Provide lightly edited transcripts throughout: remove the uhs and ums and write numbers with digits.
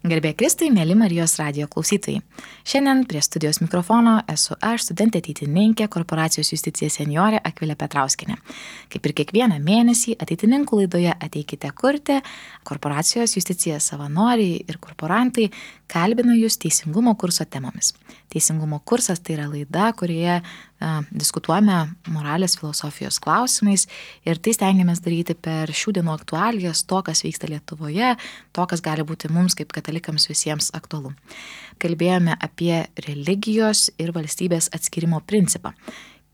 Garbė Kristui, mėly Marijos radijo klausytojai. Šiandien prie studijos mikrofono esu aš, studentė ateitininkė, korporacijos Justicija seniorė Akvilė Petrauskienė. Kaip ir kiekvieną mėnesį ateitininkų laidoje Ateikite kurti, korporacijos Justicija savanoriai ir korporantai kalbina jūs teisingumo kurso temomis. Teisingumo kursas tai yra laida, kurioje diskutuojame moralės filosofijos klausimais ir tai stengiamės daryti per šių dienų aktualijas, to, kas vyksta Lietuvoje, to, kas gali būti mums kaip katalikams visiems aktualu. Kalbėjome apie religijos ir valstybės atskirimo principą.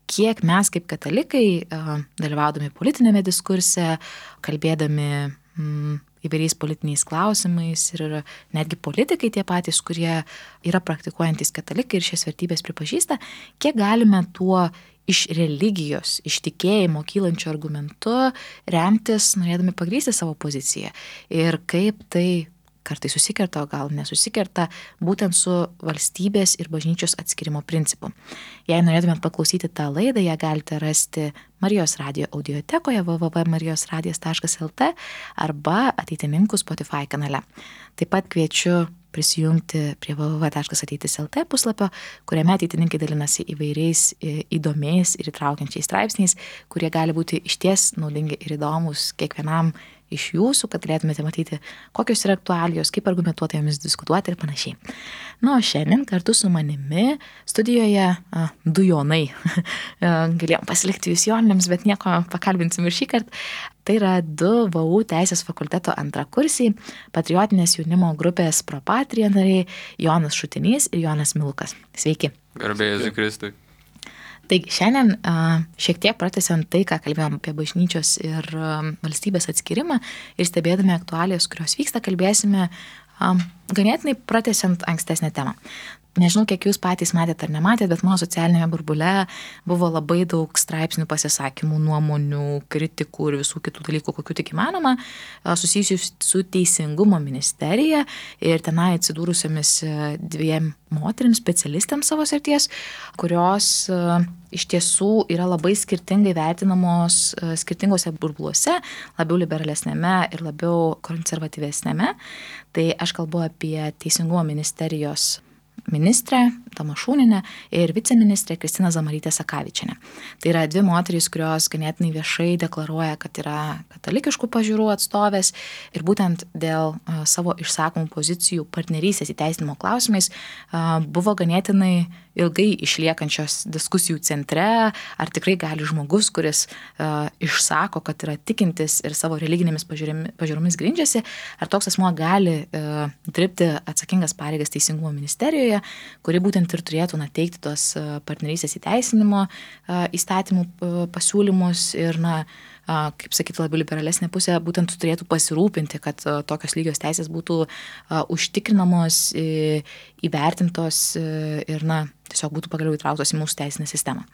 Kiek mes kaip katalikai, dalyvaudami politinėme diskurse, kalbėdami įvairiais politiniais klausimais ir netgi politikai tie patys, kurie yra praktikuojantys katalikai ir šias vertybės pripažįsta, kiek galime tuo iš religijos, iš tikėjimo kylančių argumentų remtis, norėdami pagrįsti savo poziciją ir kaip tai kartai susikerta, o gal nesusikerta, būtent su valstybės ir bažnyčios atskirimo principu. Jei norėtumėt paklausyti tą laidą, ją galite rasti Marijos radijo audiotekoje www.marijosradijas.lt arba Ateitininkų Spotify kanale. Taip pat kviečiu prisijungti prie www.ateitis.lt puslapio, kuriame ateitininkai dalinasi įvairiais įdomiais ir įtraukiančiais straipsniais, kurie gali būti išties naudingi ir įdomus kiekvienam iš jūsų, kad galėtumėte matyti, kokios yra aktualijos, kaip argumentuotai jomis diskutuoti ir panašiai. O šiandien kartu su manimi studijoje du Jonai. Galėjom pasilikti jūs Jonėms, bet nieko, pakalbinsim ir šį kartą. Tai yra du VU Teisės fakulteto antrakursiai, patriotinės jaunimo grupės Pro Patria nariai Jonas Šutinys ir Jonas Milukas. Sveiki. Garbė Jėzui Kristui. Taigi šiandien šiek tiek pratęsiant tai, ką kalbėjom apie bažnyčios ir valstybės atskirimą ir stebėdami aktualijas, kurios vyksta, kalbėsime ganėtinai pratęsiant ankstesnę temą. Nežinau, kiek jūs patys matėte ar nematėte, bet mano socialinėje burbule buvo labai daug straipsnių, pasisakymų, nuomonių, kritikų ir visų kitų dalykų, kokių tik įmanoma, susijusių su Teisingumo ministerija ir tenai atsidūrusiamis dviem moterims, specialistėms savo srities, kurios iš tiesų yra labai skirtingai vertinamos skirtingose burbuluose, labiau liberalesnėme ir labiau konservatyvesnėme. Tai aš kalbu apie Teisingumo ministerijos ministrė Tamašūnienė ir viceministrė Kristina Zamarytė Sakavičienė. Tai yra dvi moterys, kurios ganėtinai viešai deklaruoja, kad yra katalikiškų pažiūrų atstovės ir būtent dėl savo išsakomų pozicijų partnerystės įteisinimo klausimais buvo ganėtinai ilgai išliekančios diskusijų centre, ar tikrai gali žmogus, kuris išsako, kad yra tikintis ir savo religinėmis pažiūromis grindžiasi, ar toks asmuo gali dirbti atsakingas pareigas Teisingumo ministerijoje, kuri būtent ir turėtų teikti tos partnerystės įteisinimo įstatymų pasiūlymus ir, kaip sakyti, labiau liberalesnė pusė būtent turėtų pasirūpinti, kad tokios lygios teisės būtų užtikrinamos, įvertintos ir, tiesiog būtų pagaliau įtrauktos į mūsų teisinę sistemą.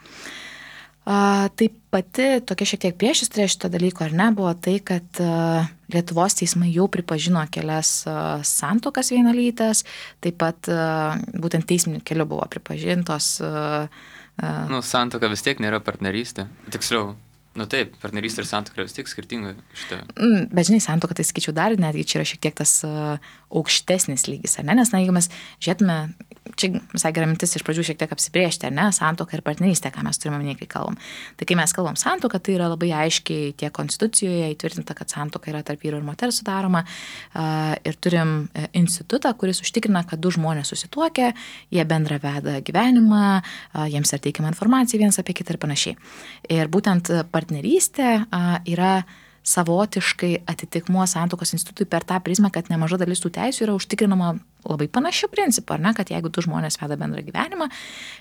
Taip pati tokia šiek tiek priešistorė šito dalyko, ar ne, buvo tai, kad Lietuvos teismai jau pripažino kelias santuokas vienalytes, taip pat būtent teisminiu keliu buvo pripažintos. Santuoka vis tiek nėra partnerystė. Tiksliau, taip, partnerystė ir santuoka vis tiek skirtinga šitą. Bet žinai, santuoka, tai sakyčiau, dar netgi čia yra šiek tiek tas aukštesnis lygis, ar ne? Nes, jeigu mes žiūrėtume, čia visai gera mintis iš pradžių šiek tiek apsibrėžti, ar ne, santuoka ir partnerystė, ką mes turime minėti, kai kalbam. Tai kai mes kalbam santuoka, tai yra labai aiškiai tiek konstitucijoje įtvirtinta, kad santuoka yra tarp vyro ir moters sudaroma ir turim institutą, kuris užtikrina, kad du žmonės susituokia, jie bendra veda gyvenimą, jiems yra teikiama informacija vienas apie kitą ir panašiai. Ir būtent partnerystė yra savotiškai atitikmuo santuokos institutui per tą prizmę, kad nemaža dalis tų teisių yra užtikrinama labai panašių principų, ar ne, kad jeigu du žmonės veda bendrą gyvenimą,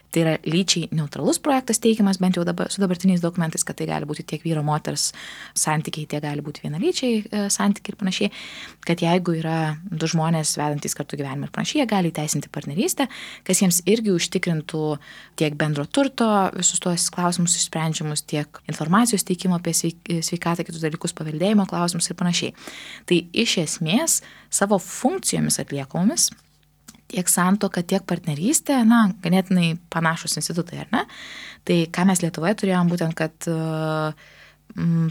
tai yra lyčiai neutralus projektas teikiamas, bent jau su dabartiniais dokumentais, kad tai gali būti tiek vyro moters santykiai, tiek gali būti vienalyčiai santykiai ir panašiai, kad jeigu yra du žmonės vedantys kartu gyvenimą ir panašiai, jie gali įteisinti partnerystę, kas jiems irgi užtikrintų tiek bendro turto visus tuos klausimus išsprendžiamus, tiek informacijos teikimo apie sveikatą, kitus dalykus, paveldėjimo klausimus ir panašiai. Tai iš esmės savo funkcijomis atliekomis tiek santuoka, tiek partnerystė, ganėtinai panašus institutai, ar ne? Tai ką mes Lietuvoje turėjom būtent, kad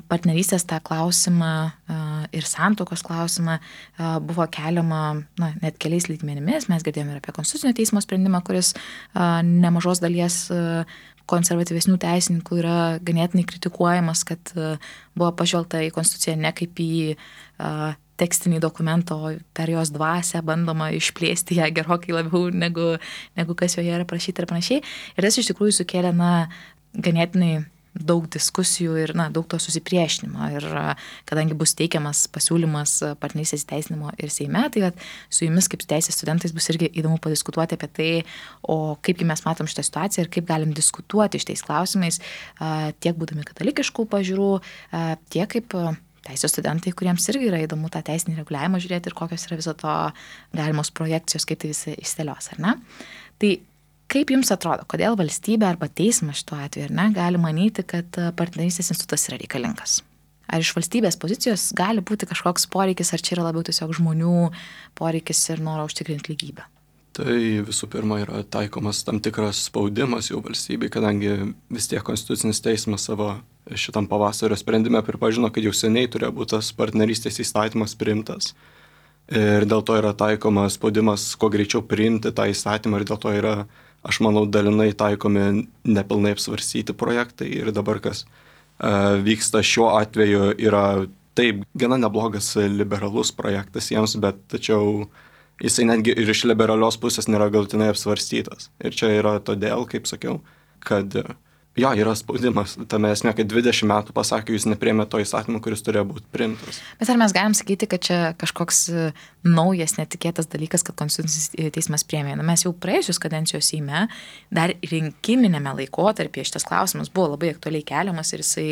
partnerystės tą klausimą ir santuokos klausimą buvo keliama net keliais lygmenimis. Mes girdėjome ir apie Konstitucinio teismo sprendimą, kuris nemažos dalies konservatyvesnių teisininkų yra ganėtinai kritikuojamas, kad buvo pažvelgta į Konstituciją ne kaip į tekstinį dokumentą, o per jos dvasią bandoma išplėsti ją gerokai labiau negu kas joje yra parašyta ir panašiai. Ir tas iš tikrųjų sukėlė ganėtinai daug diskusijų ir daug to susipriešinimo. Ir kadangi bus teikiamas pasiūlymas partnerystės įteisinimo ir Seime, tai su jumis kaip teisės studentais bus irgi įdomu padiskutuoti apie tai, o kaipgi mes matom šitą situaciją ir kaip galim diskutuoti šitais klausimais, tiek būdami katalikiškų pažiūrų, tiek kaip teisės studentai, kuriems irgi yra įdomu tą teisinį reguliavimą žiūrėti ir kokios yra viso to galimos projekcijos, kaip tai visi išstelios, ar ne? Tai kaip jums atrodo, kodėl valstybė arba teismas šituo atveju, ar ne, gali manyti, kad partnerystės institutas yra reikalingas? Ar iš valstybės pozicijos gali būti kažkoks poreikis, ar čia yra labiau tiesiog žmonių poreikis ir noro užtikrinti lygybę? Tai visų pirma yra taikomas tam tikras spaudimas jau valstybei, kadangi vis tiek Konstitucinis teismas savo šitam pavasario sprendime pripažino, kad jau seniai turėjo būti tas partnerystės įstatymas priimtas. Ir dėl to yra taikomas spaudimas kuo greičiau priimti tą įstatymą ir dėl to yra, aš manau, dalinai taikomi nepilnai apsvarstyti projektai. Ir dabar kas vyksta šiuo atveju yra taip gana neblogas liberalus projektas jiems, bet tačiau jisai netgi ir iš liberalios pusės nėra galutinai apsvarstytas. Ir čia yra todėl, kaip sakiau, kad jo, yra spaudimas tame esmė, kad 20 metų pasakė, jūs nepriėmė to įstatymo, kuris turėjo būti priimtas. Bet ar mes galim sakyti, kad čia kažkoks naujas, netikėtas dalykas, kad Konstitucinis teismas priėmė? Mes jau praėjusios kadencijos Seime, dar rinkiminėme laikotarpyje šitas klausimas buvo labai aktualiai keliamas ir jisai,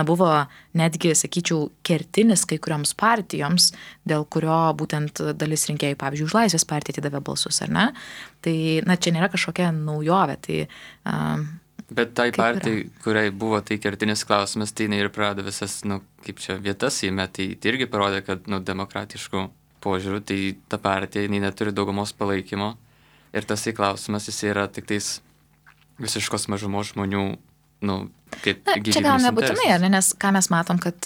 buvo netgi, sakyčiau, kertinis kai kurioms partijoms, dėl kurio būtent dalis rinkėjų, pavyzdžiui, už Laisvės partiją atidavė balsus, ar ne? Tai, čia nėra kažkokia naujovė, tai bet tai partijai, kuriai buvo tai kertinis klausimas, tai jinai ir prarado visas, vietas Seime, tai irgi parodė, kad, demokratiškų požiūrių, tai ta partija, jinai neturi daugumos palaikymo ir tas klausimas, jis yra tik tais visiškos mažumos žmonių, kaip gyvybinis interesas. Čia gal nebūtinai, ar ne, nes ką mes matom, kad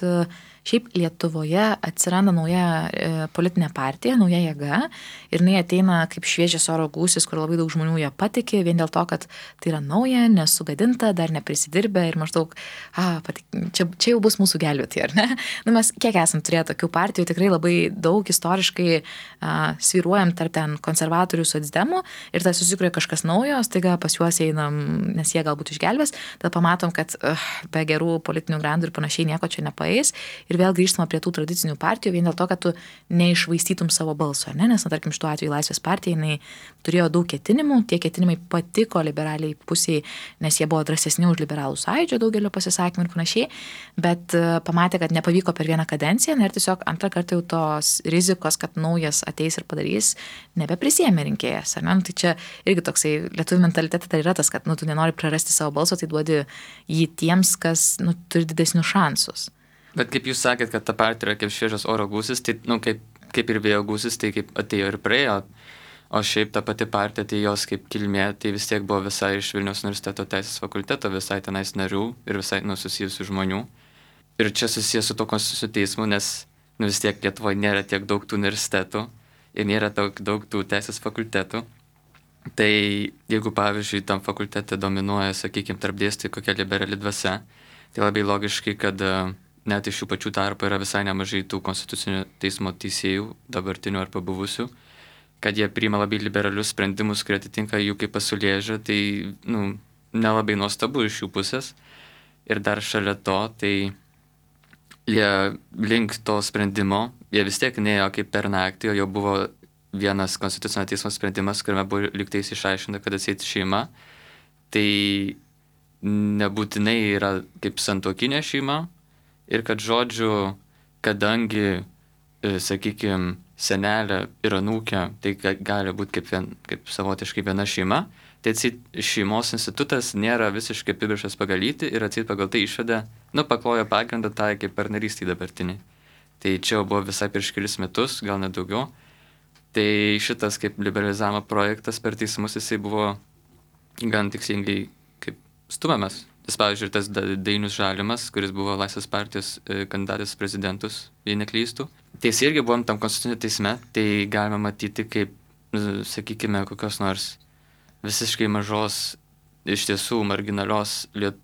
šiaip Lietuvoje atsiranda nauja politinė partija, nauja jėga ir jinai ateina kaip šviežias oro gūsis, kur labai daug žmonių ją patikė, vien dėl to, kad tai yra nauja, nesugadinta, dar neprisidirbę ir maždaug, čia jau bus mūsų gelbėti, ar ne? Mes kiek esam turėję tokių partijų, tikrai labai daug istoriškai svyruojam tarp ten konservatorių, socdemų ir tai susikuria kažkas naujo, staiga pas juos einam, nes jie galbūt išgelbės, tada pamatom, kad be gerų politinių grandų ir panašiai nieko čia nepaeis. Ir vėl grįžtama prie tų tradicinių partijų vien dėl to, kad tu neišvaistytum savo balso, ne? Nes, tarkim, šituo atveju Laisvės partija, jinai turėjo daug ketinimų, tie ketinimai patiko liberaliai pusiai, nes jie buvo drąsesni už liberalų sąjūdžio daugelio pasisakymų ir panašiai, bet pamatė, kad nepavyko per vieną kadenciją ir tiesiog antrą kartą jau tos rizikos, kad naujas ateis ir padarys, nebeprisėmė rinkėjas. Tai čia irgi toksai lietuvių mentalitetas tai yra tas, kad tu nenori prarasti savo balso, tai duodi jį tiems, kas turi didesnius šansus. Bet kaip jūs sakėt, kad ta partija yra kaip šviežias oro gūsis, tai kaip ir vėjo gūsis, tai kaip atėjo ir praėjo, o šiaip ta pati partija, tai jos kaip kilmė, tai vis tiek buvo visai iš Vilniaus universiteto teisės fakulteto, visai tenais narių ir visai susijusių žmonių. Ir čia susijęs su to Konstitucinio teismu, nes vis tiek Lietuvoje nėra tiek daug tų universitetų ir nėra daug tų teisės fakultetų. Tai jeigu, pavyzdžiui, tam fakultete dominuoja, sakykime, tarp dėstytojų kokia liberali dvasia, tai labai logiškai, kad net iš jų pačių tarpo yra visai nemažai tų Konstitucinio teismo teisėjų, dabartinių ar pabuvusių, kad jie priima labai liberalius sprendimus, kurie atitinka jų kaip pasaulėžiūrą, tai nelabai nuostabu iš jų pusės. Ir dar šalia to, tai jie link to sprendimo, jie vis tiek neėjo kaip per naktį, o jau buvo vienas Konstitucinio teismo sprendimas, kuriame buvo lygtais išaiškinta, kad atseit šeima, tai nebūtinai yra kaip santuokinė šeima, ir kad žodžiu, kadangi, sakykime, senelė ir anūkė, tai gali būti kaip savotiškai viena šeima, tai šeimos institutas nėra visiškai apibrėžtas pagal lytį ir pagal tai išvedė, paklojo pagrindą tai kaip partnerystei dabartiniai. Tai čia buvo visai prieš kelis metus, gal net daugiau. Tai šitas kaip liberalizavimo projektas per teismus jisai buvo gan tikslingai kaip stumiamas. Vis, pavyzdžiui, ir tas Dainius Žalimas, kuris buvo Laisvės partijos kandidatas prezidentus, jei neklystų. Tai jis irgi buvom tam konstitucinio teisme, tai galima matyti kaip, sakykime, kokios nors visiškai mažos, iš tiesų marginalios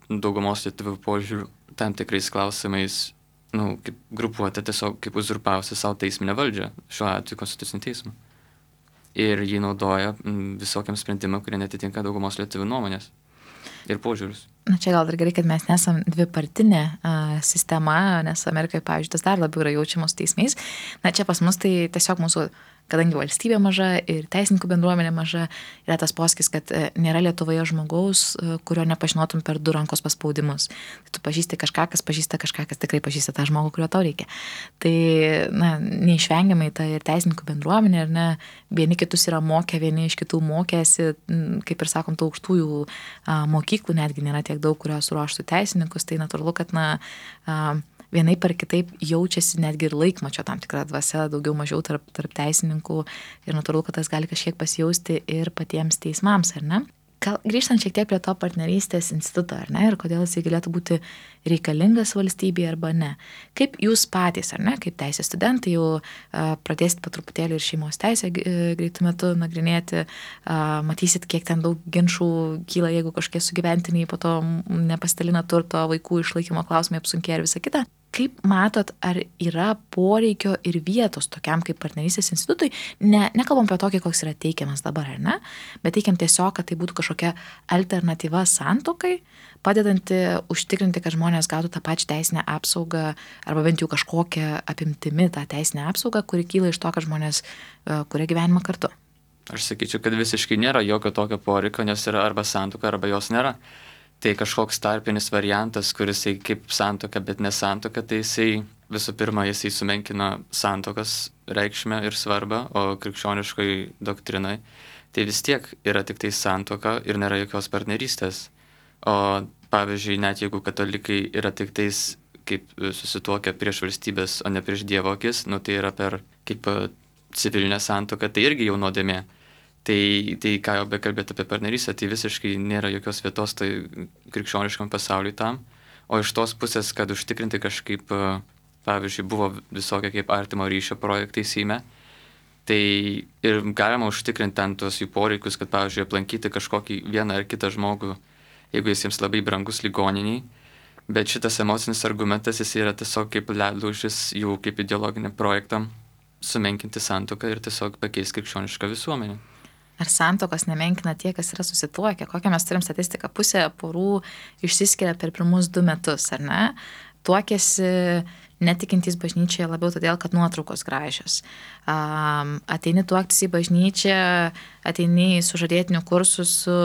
daugumos lietuvių požiūrių tam tikrais klausimais, kaip grupuotė tiesiog kaip uzurpavusi savo teisminę valdžią, šiuo atveju konstitucinį teismą. Ir jį naudoja visokiam sprendimam, kurie netitinka daugumos lietuvių nuomonės ir požiūrius. Na čia gal dar gerai, kad mes nesam dvipartinė sistema, nes Amerikoje, pavyzdžiui, tas dar labiau yra jaučiamos teismais. Na čia pas mus tai tiesiog mūsų, kadangi valstybė maža ir teisininkų bendruomenė maža, yra tas posakis, kad nėra Lietuvoje žmogaus, kurio nepažinotum per 2 rankos paspaudimus. Tai tu pažįsti kažką, kas pažįsta kažką, kas tikrai pažįsta tą žmogų, kurio tau reikia. Tai, neišvengiamai ta ir teisininkų bendruomenė, ir ne, vieni kitus yra mokę, vieni iš kitų mokėsi, kaip ir sakom, tų aukštųjų mokyklų netgi nėra tiek daug, kurios ruoštų teisininkus, tai natūralu, kad vienaip ar kitaip jaučiasi netgi ir laikmačio tam tikra dvasia, daugiau mažiau tarp teisininkų ir natūralu, kad tas gali kažkiek pasijausti ir patiems teismams, ar ne? Gal grįžtant šiek tiek prie to partnerystės instituto, ar ne, ir kodėl jisai galėtų būti reikalingas valstybėje arba ne. Kaip jūs patys, ar ne, kaip teisės studentai jau pradėsit po truputėlį ir šeimos teisę greitų metų nagrinėti, matysit, kiek ten daug ginčų kyla, jeigu kažkokie sugyventiniai po to nepasidalina turto, vaikų išlaikymo klausimai apsunkėja ir visa kita. Kaip matot, ar yra poreikio ir vietos tokiam kaip partnerystės institutui? Nekalbam apie tokį, koks yra teikiamas dabar, ar ne? Bet teikiam tiesiog, kad tai būtų kažkokia alternatyva santuokai, padedanti užtikrinti, kad žmonės gautų tą pačią teisinę apsaugą arba bent jau kažkokią apimtimi tą teisinę apsaugą, kuri kyla iš to, kad žmonės kuria gyvenimą kartu. Aš sakyčiau, kad visiškai nėra jokio tokio poreikio, nes yra arba santuoka, arba jos nėra. Tai kažkoks tarpinis variantas, kuris kaip santuoka, bet nesantuoka, tai jisai visų pirma, jisai sumenkina santuokas reikšmę ir svarbą, o krikščioniškai doktrinai tai vis tiek yra tik tai santuoka ir nėra jokios partnerystės. O pavyzdžiui, net jeigu katalikai yra tik tais kaip susituokę prieš valstybės, o ne prieš Dievo akis, tai yra per kaip civilinę santuoką, tai irgi jau nuodėmė. Tai ką jau bekalbėti apie partnerystę, tai visiškai nėra jokios vietos tai krikščioniškam pasauliui tam. O iš tos pusės, kad užtikrinti kažkaip, pavyzdžiui, buvo visokie kaip artimo ryšio projektai Seime, tai ir galima užtikrinti ten tuos jų poreikius, kad, pavyzdžiui, aplankyti kažkokį vieną ar kitą žmogų, jeigu jis labai brangus ligoniniai. Bet šitas emocinis argumentas, jis yra tiesiog kaip ledlaužis jų kaip ideologiniam projektam sumenkinti santuoką ir tiesiog pakeisti krikščionišką visuomenę. Ar santuokos nemenkina tie, kas yra susituokę? Kokią mes turim statistiką? Pusė porų išsiskiria per pirmus 2 metus, ar ne? Tuokėsi netikintys bažnyčioje labiau todėl, kad nuotraukos gražios. Ateini tuoktis į bažnyčią, ateini į sužadėtinių kursus su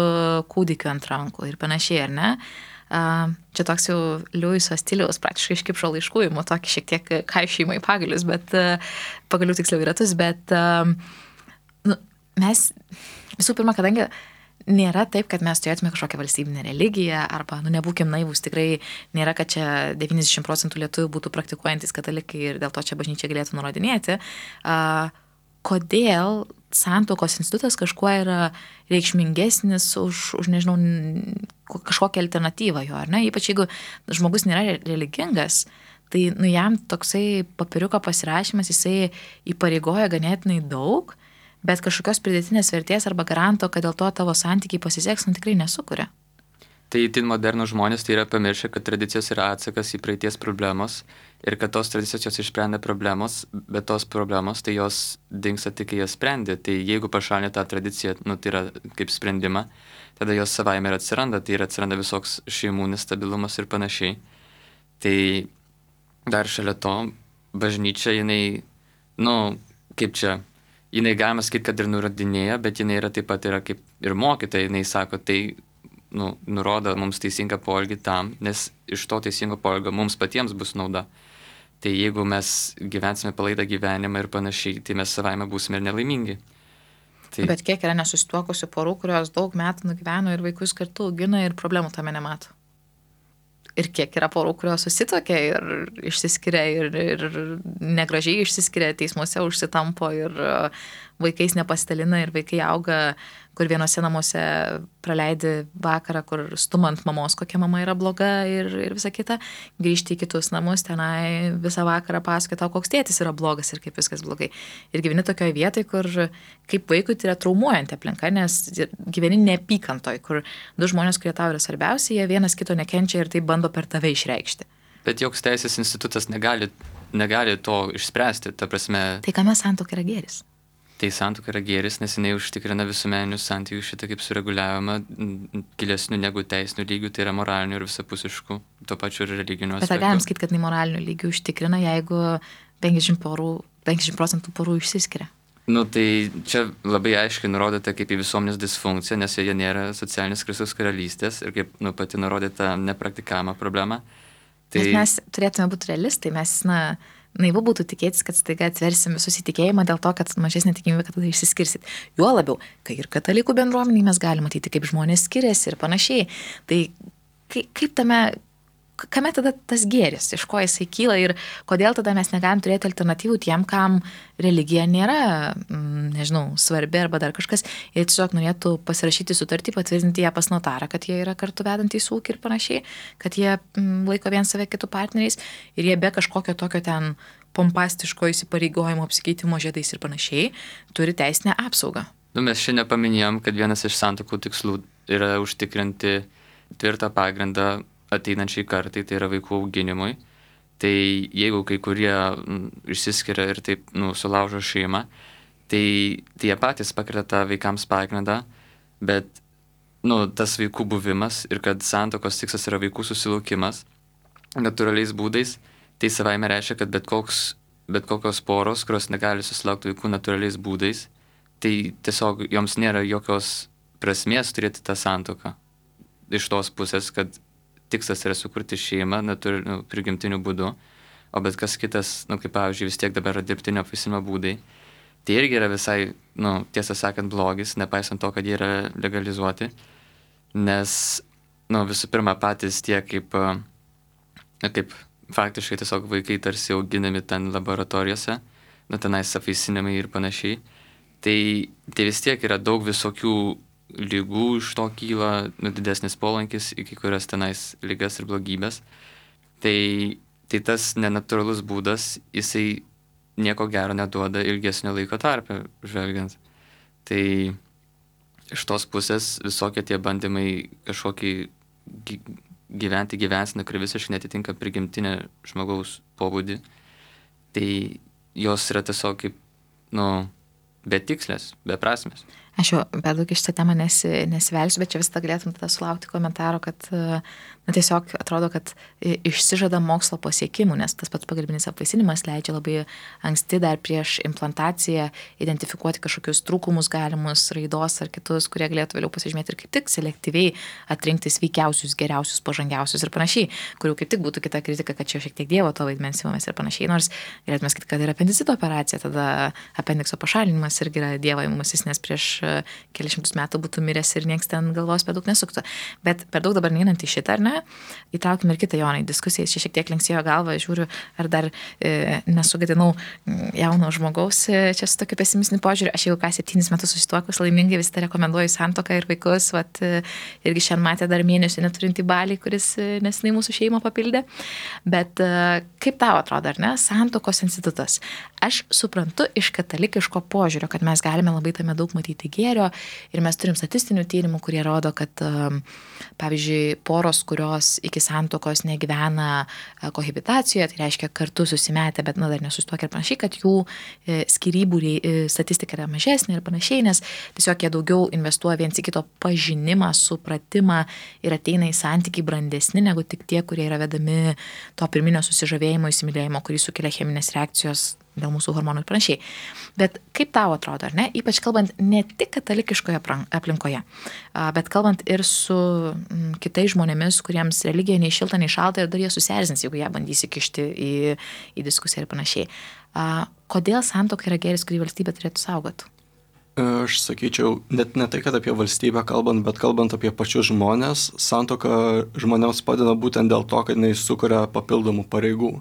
kūdikiu ant rankų ir panašiai, ar ne? Čia toks jau Liuiso stiliaus praktiškai iš Kipšo laiškų, tokį šiek tiek kaišymą į pagalius, bet pagalių tiksliau į ratus, bet mes visų pirma, kadangi nėra taip, kad mes turėtume kažkokią valstybinę religiją arba, nebūkim naivūs, tikrai nėra, kad čia 90% lietuvių būtų praktikuojantis katalikai ir dėl to čia bažnyčia galėtų nurodinėti. Kodėl santuokos institutas kažkuo yra reikšmingesnis už nežinau, kažkokią alternatyvą jo, ar ne? Ypač jeigu žmogus nėra religingas, tai jam toksai papiriuko pasirašymas, jisai įpareigoja ganėtinai daug, bet kažkokios pridėtinės vertės arba garanto, kad dėl to tavo santykiai pasiseks, tikrai nesukuria. Tai itin modernų žmonės tai yra pamiršę, kad tradicijos yra atsakas į praeities problemos ir kad tos tradicijos jos išsprendė problemos, bet tos problemos tai jos dingsta tik, kai jas sprendė. Tai jeigu pašalinė tą tradiciją, tai yra kaip sprendimą, tada jos savaime ir atsiranda, tai ir atsiranda visoks šeimų nestabilumas ir panašiai. Tai dar šalia to bažnyčia, jinai, kaip čia, jinai galima sakyti, kad ir nurodinėja, bet jinai yra taip pat yra kaip ir mokytoja, jinai sako, tai nurodo mums teisingą poelgį tam, nes iš to teisingo poelgio mums patiems bus nauda. Tai jeigu mes gyvensime palaidą gyvenimą ir panašiai, tai mes savaime būsime ir nelaimingi. Tai... Bet kiek yra nesusituokusių porų, kurios daug metų nugyveno ir vaikus kartu augina ir problemų tame nemato? Ir kiek yra porų, kurios susituokia ir išsiskiria ir negražiai išsiskiria, teismuose užsitampo ir vaikais nepasitalina ir vaikai auga, kur vienose namuose praleidi vakarą, kur stumant mamos, kokia mama yra bloga ir visa kita, grįžti į kitus namus, tenai visą vakarą pasakoja tau, koks tėtis yra blogas ir kaip viskas blogai. Ir gyveni tokioje vietoje, kur kaip vaikui tai yra traumuojanti aplinka, nes gyveni neapykantoj, kur du žmonės, kurie tau yra svarbiausi, jie vienas kito nekenčia ir tai bando per tave išreikšti. Bet joks teisės institutas negali to išspręsti, ta prasme. Tai kame santuoka yra gėris? Tai santuoka yra gėris, nes jinai užtikrina visuomeninius santykius šitą kaip sureguliavimą gilesnių negu teisinių lygių, tai yra moralinių ir visapusiškų, tuo pačiu ir religinių aspektų. Bet ar galim sakyti, kad jinai moralinių lygių užtikrina, jeigu 50% porų išsiskiria? Tai čia labai aiškiai nurodyta kaip į visuomenės disfunkciją, nes joje nėra socialinės Kristaus karalystės ir kaip pati nurodyta nepraktikavimo problema. Tai mes turėtume būti realistai, mes, naivu būtų tikėtis, kad staiga atversim visus įtikėjimą dėl to, kad mažesnė tikimybė, kad tada išsiskirsit. Juo labiau, kai ir katalikų bendruomeniai mes galime matyti, kaip žmonės skiriasi ir panašiai. Tai kaip kame tada tas gėris, iš ko jisai kyla ir kodėl tada mes negalim turėti alternatyvų tiem, kam religija nėra, svarbi arba dar kažkas, jie tiesiog norėtų pasirašyti sutartį, patvirtinti ją pas notarą, kad jie yra kartu vedantys ūkį ir panašiai, kad jie laiko vien save kitų partneriais ir jie be kažkokio tokio ten pompastiško įsipareigojimo apsikeitimo žiedais ir panašiai turi teisinę apsaugą. Mes šiandien paminėjom, kad vienas iš santuokų tikslų yra užtikrinti tvirtą pagrindą ateinančiai kartai, tai yra vaikų auginimui. Tai jeigu kai kurie išsiskiria ir taip sulaužo šeimą, tai jie patys pakrita tą vaikams pagrindą, bet tas vaikų buvimas ir kad santuokos tikslas yra vaikų susilaukimas natūraliais būdais, tai savaime reiškia, kad bet kokios poros, kurios negali susilaukti vaikų natūraliais būdais, tai tiesiog joms nėra jokios prasmės turėti tą santuoką. Iš tos pusės, kad tikslas yra sukurti šeimą prigimtiniu būdu, o bet kas kitas, kaip pavyzdžiui, vis tiek dabar yra dirbtinio apvaisinimo būdai, tai irgi yra visai, tiesą sakant, blogis, nepaisant to, kad jie yra legalizuoti, nes, visų pirma, patys tie kaip faktiškai tiesiog vaikai tarsi auginami ten laboratorijose, tenais apvaisinimai ir panašiai, tai vis tiek yra daug visokių lygų, iš to kyla didesnis polankis iki kurias tenais ligas ir blogybės. Tai tas nenatūralus būdas, jisai nieko gero neduoda ilgesnio laiko tarpe žvelgiant. Tai iš tos pusės visokie tie bandymai kažkokį gyventi gyvenseną, kuri visiškai netitinka prigimtinę žmogaus pobūdį, tai jos yra tiesiog kaip, betikslės, beprasmės. Aš jau per daug iš tą temą nesivelsiu, bet čia visada galėtum tada sulaukti komentaro, kad tiesiog atrodo, kad išsižada mokslo pasiekimų, nes tas pats pagalbinis apvaisinimas leidžia labai anksti dar prieš implantaciją identifikuoti kažkokius trūkumus galimus, raidos ar kitus, kurie galėtų vėliau pasižymėti ir kaip tik selektyviai atrinkti sveikiausius, geriausius, pažangiausius ir panašiai, kurių kaip tik būtų kita kritika, kad čia šiek tiek Dievo to vaidmens įmamės ir panašiai, nors galėtume sakyti, kad yra apendicito operacija, tada apendikso pašalinimas irgi yra Dievo įmasis, nes prieš kelišimtus metų būtų miręs ir nieks ten galvos per daug nesuktų. Bet per daug dabar neinant į šitą, ar ne, įtraukime ir kitą Joną į diskusiją, čia šiek tiek linksėjo galvą, žiūriu, ar dar nesugadinau jauno žmogaus, čia su tokiu pesimistiniu požiūriu, aš jau 7 metus susituokus, laimingai vis tą rekomenduoju santuoką ir vaikus, irgi šiandien matė dar mėnesį neturintį balį, kuris nesenai mūsų šeimą papildė. Bet kaip tau atrodo, ar ne, santuokos institutas? Aš suprantu iš katalikiško požiūrio, kad mes galime labai tame daug matyti gėrio ir mes turim statistinių tyrimų, kurie rodo, kad pavyzdžiui, poros, kurios iki santuokos negyvena kohabitacijoje, tai reiškia kartu susimetę, bet dar nesusituokę ir panašiai, kad jų skyrybų statistika yra mažesnė ir panašiai, nes tiesiog jie daugiau investuoja viens į kito pažinimą, supratimą ir ateina į santykį brandesni negu tik tie, kurie yra vedami to pirminio susižavėjimo, įsimylėjimo, kurį sukelia cheminės reakcijos dėl mūsų hormonų ir panašiai. Bet kaip tau atrodo, ar ne? Ypač kalbant ne tik katalikiškoje aplinkoje, bet kalbant ir su kitais žmonėmis, kuriems religija nei šilta, nei šalta ir dar jie susierzins, jeigu ją bandys įkišti į diskusiją ir panašiai. Kodėl santuoka yra gėris, kurį valstybė turėtų saugoti? Aš sakyčiau, net ne tai, kad apie valstybę kalbant, bet kalbant apie pačius žmonės, santuoka žmonėms padeda būtent dėl to, kad jinai sukuria papildomų pareigų.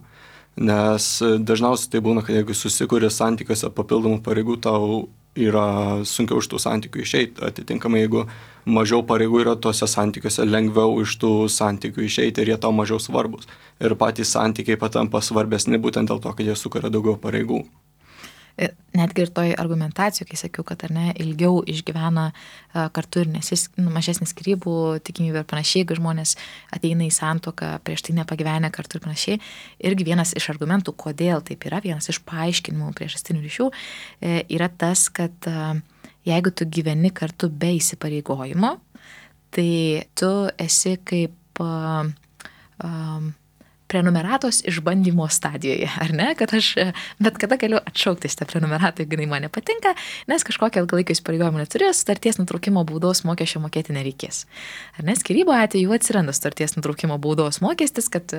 Nes dažniausiai tai būna, kad jeigu susikuri santykiuose papildomų pareigų, tau yra sunkiau iš tų santykių išeiti. Atitinkamai, jeigu mažiau pareigų yra tuose santykiuose, lengviau iš tų santykių išeiti ir jie tau mažiau svarbus. Ir patys santykiai patampa svarbesni būtent dėl to, kad jie sukuria daugiau pareigų. Netgi ir toj argumentacijų, kai sakiau, kad ar ne, ilgiau išgyvena kartu ir mažesnis skyrybų tikimybė ir panašiai, jeigu žmonės ateina į santuoką, prieš tai nepagyvenę kartu ir panašiai, irgi vienas iš argumentų, kodėl taip yra, vienas iš paaiškinimų priežastinių ryšių yra tas, kad jeigu tu gyveni kartu be įsipareigojimo, tai tu esi kaip prenumeratos išbandymo stadijoje, ar ne, kad aš bet kada galiu atšaukti šitą prenumeratą, jeigu jinai man nepatinka, nes kažkokio ilgalaikio įsipareigojimo neturiu, sutarties nutraukimo baudos mokesčio mokėti nereikės. Ar ne, skyrybų atveju atsiranda sutarties nutraukimo baudos mokestis, kad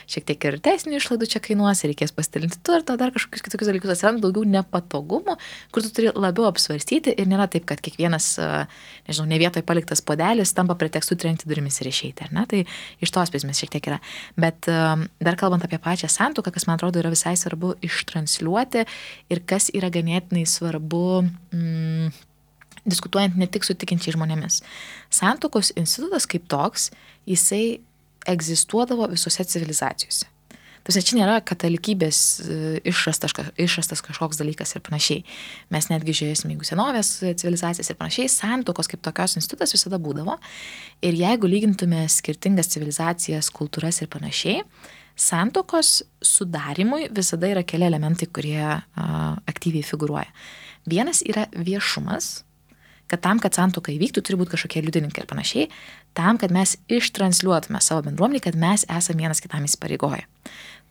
šiek tiek ir teisinių išlaidų čia kainuos, reikės pasidalinti turtą, dar kažkokius kitokius dalykus, atsiranda daugiau nepatogumų, kur tu turi labiau apsvarstyti ir nėra taip, kad kiekvienas, nežinau, ne vietoj paliktas puodelis tampa pretekstu trenkti durimis ir išeiti, ar ne, tai iš tos prizmės šiek tiek yra. Bet dar kalbant apie pačią santuoką, kas man atrodo yra visai svarbu ištransliuoti ir kas yra ganėtinai svarbu diskutuojant ne tik su tikinčiais žmonėmis. Santuokos institutas kaip toks, jisai egzistuodavo visose civilizacijose. Tačiau čia nėra katalikybės išrastas kažkoks dalykas ir panašiai. Mes netgi žiūrėsime, jeigu senovės civilizacijas ir panašiai, santuokos kaip tokios institutas visada būdavo. Ir jeigu lygintume skirtingas civilizacijas, kultūras ir panašiai, santuokos sudarimui visada yra keli elementai, kurie aktyviai figuruoja. Vienas yra viešumas, kad tam, kad santuoka įvyktų, turi būti kažkokie liudininkai ir panašiai, tam, kad mes ištransliuotume savo bendruomenį, kad mes esame vienas kitam įsipareigoję.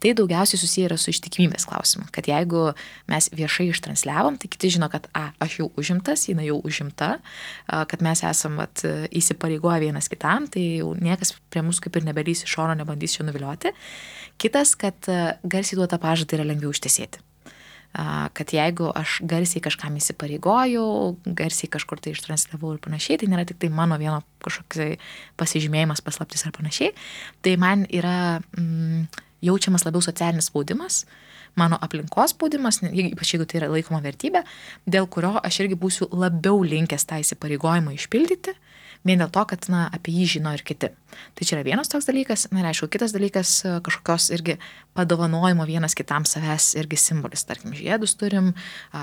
Tai daugiausiai susiję yra su ištikimybės klausimu, kad jeigu mes viešai ištransliavom, tai kiti žino, kad aš jau užimtas, jinai jau užimta, kad mes esam įsipareigoję vienas kitam, tai jau niekas prie mūsų kaip ir nebelys iš šono, nebandys čia nuvilioti. Kitas, kad garsiai duotą pažadą yra lengviau ištesėti. Kad jeigu aš garsiai kažkam įsipareigojau, garsiai kažkur tai ištransliavau ir panašiai, tai nėra tik tai mano vieno kažkoks pasižymėjimas, paslaptis ar panašiai, tai man yra jaučiamas labiau socialinis spaudimas, mano aplinkos spaudimas, ypač jeigu tai yra laikoma vertybė, dėl kurio aš irgi būsiu labiau linkęs tą įsipareigojimą išpildyti, vien dėl to, kad apie jį žino ir kiti. Tai čia yra vienas toks dalykas, ir aišku, kitas dalykas kažkokios irgi padovanojimo vienas kitam savęs irgi simbolis, tarkim, žiedus turim,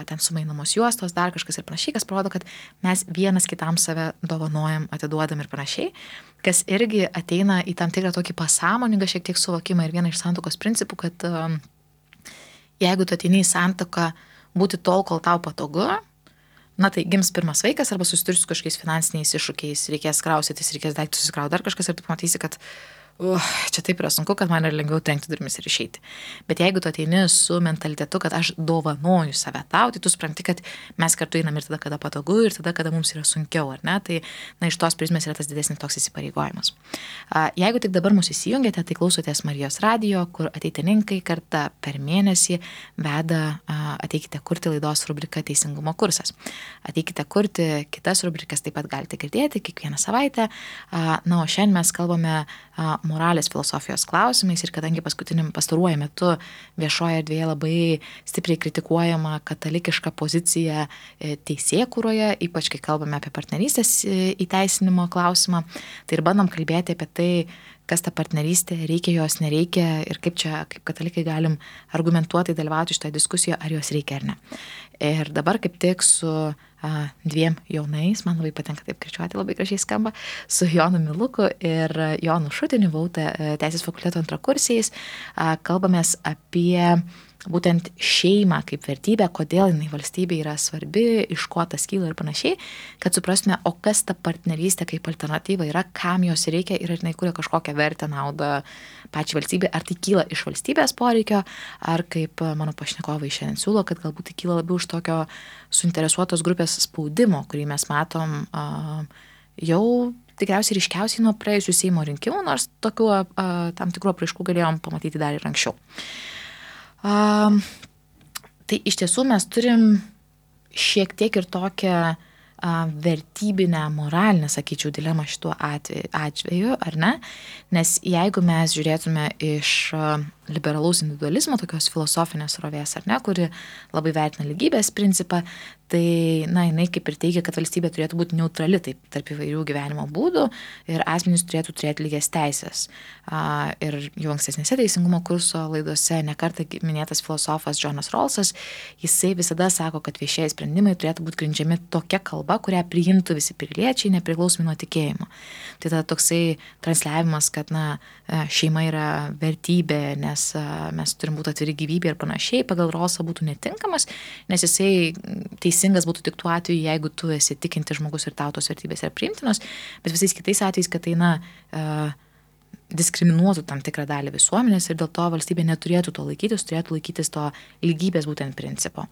ten sumainamos juostos, dar kažkas ir panašiai, kas parodo, kad mes vienas kitam save dovanojam, atiduodam ir panašiai, kas irgi ateina į tam tikrą tokį pasąmoningą šiek tiek suvokimą ir vieną iš santuokos principų, kad jeigu tu ateini į santuoką būti tol, kol tau patogu, tai gims pirmas vaikas arba susidursi su kažkokiais finansiniais iššūkiais, reikės kraustytis, reikės daiktus susikrauti dar kažkas ir tu pamatysi, kad čia taip yra sunku, kad man yra lengviau trenkti durimis ir išeiti. Bet jeigu tu ateini su mentalitetu, kad aš dovanoju save tau, tai tu supranti, kad mes kartu einam ir tada, kada patogu, ir tada, kada mums yra sunkiau, ar ne? Tai iš tos prizmės yra tas didesnis toks įsipareigojimas. Jeigu tik dabar mūsų įsijungėte, tai klausotės Marijos radijo, kur ateitininkai kartą per mėnesį veda Ateikite kurti laidos rubriką Teisingumo kursas. Ateikite kurti kitas rubrikas taip pat galite girdėti kiekvieną savaitę. O šiandien mes kalbame moralės filosofijos klausimais ir kadangi pastaruoju metu viešoje erdvėje labai stipriai kritikuojama katalikiška pozicija teisėkūroje, ypač kai kalbame apie partnerystės įteisinimo klausimą, tai ir bandom kalbėti apie tai, kas ta partnerystė, reikia jos, nereikia ir kaip čia, kaip katalikai galim argumentuotai dalyvauti šitoje diskusijoje, ar jos reikia ar ne. Ir dabar kaip tik su dviem jaunais, man labai patinka taip kirčiuoti, labai gražiai skamba, su Jonu Miluku ir Jonu Šutiniu, Teisės fakulteto antrakursiais, kalbamės apie būtent šeimą kaip vertybę, kodėl jinai valstybė yra svarbi, iš ko tas kyla ir panašiai, kad suprastume, o kas ta partnerystė kaip alternatyva yra, kam jos reikia ir ar jinai kuria kažkokią vertę, naudą pačiai valstybė, ar tai kyla iš valstybės poreikio, ar kaip mano pašnekovai šiandien siūlo, kad galbūt tai kyla labiau iš tokio suinteresuotos grupės spaudimo, kurį mes matom jau tikriausiai ryškiausiai nuo praėjusių Seimo rinkimų, nors tokių tam tikrų apraiškų galėjom pamatyti dar ir anksčiau. Tai iš tiesų mes turim šiek tiek ir tokią vertybinę, moralinę, sakyčiau, dilemą šituo atveju, ar ne? Nes jeigu mes žiūrėtume iš liberalaus individualizmo, tokios filosofinės srovės, ar ne, kuri labai vertina lygybės principą, tai, jinai kaip ir teigia, kad valstybė turėtų būti neutrali tarp įvairių gyvenimo būdų ir asmenys turėtų turėti lygias teisės. Ir jau ankstesnėse teisingumo kurso laidose nekartą minėtas filosofas Jonas Rawlsas, jisai visada sako, kad viešieji sprendimai turėtų būti grindžiami tokia kalba, kurią priimtų visi piliečiai, nepriklausomai nuo tikėjimo. Tai tada toksai transliavimas, kad šeima yra vertybė, nes mes turim būti atviri gyvybė ir panašiai, pagal Rawlsą būtų netinkamas, nes jisai teisingas būtų tik tuo atveju, jeigu tu esi tikinti žmogus ir tau tos vertybės yra priimtinos, bet visais kitais atvejais, kad tai diskriminuotų tam tikrą dalį visuomenės ir dėl to valstybė neturėtų to laikytis, turėtų laikytis to lygybės būtent principo.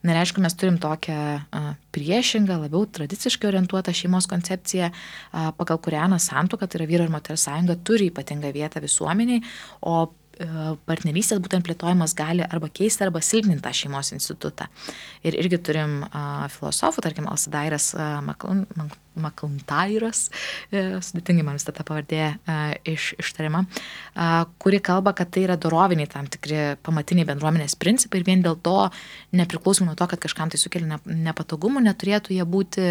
Ir aišku, mes turim tokią priešingą, labiau tradiciškai orientuotą šeimos koncepciją, pagal kurią santuoka, tai yra vyro ir moters sąjunga, turi ypatingą vietą visuomeniai, o partnerystės būtent plėtojimas gali arba keisti, arba silpninti tą šeimos institutą. Ir irgi turim filosofų, tarkim, Alcidairas MacIntyras, sudėtingai man visą tą pavardė ištariama, kuri kalba, kad tai yra doroviniai tam tikri pamatiniai bendruomenės principai ir vien dėl to, nepriklausomai nuo to, kad kažkam tai sukelia nepatogumų, neturėtų jie būti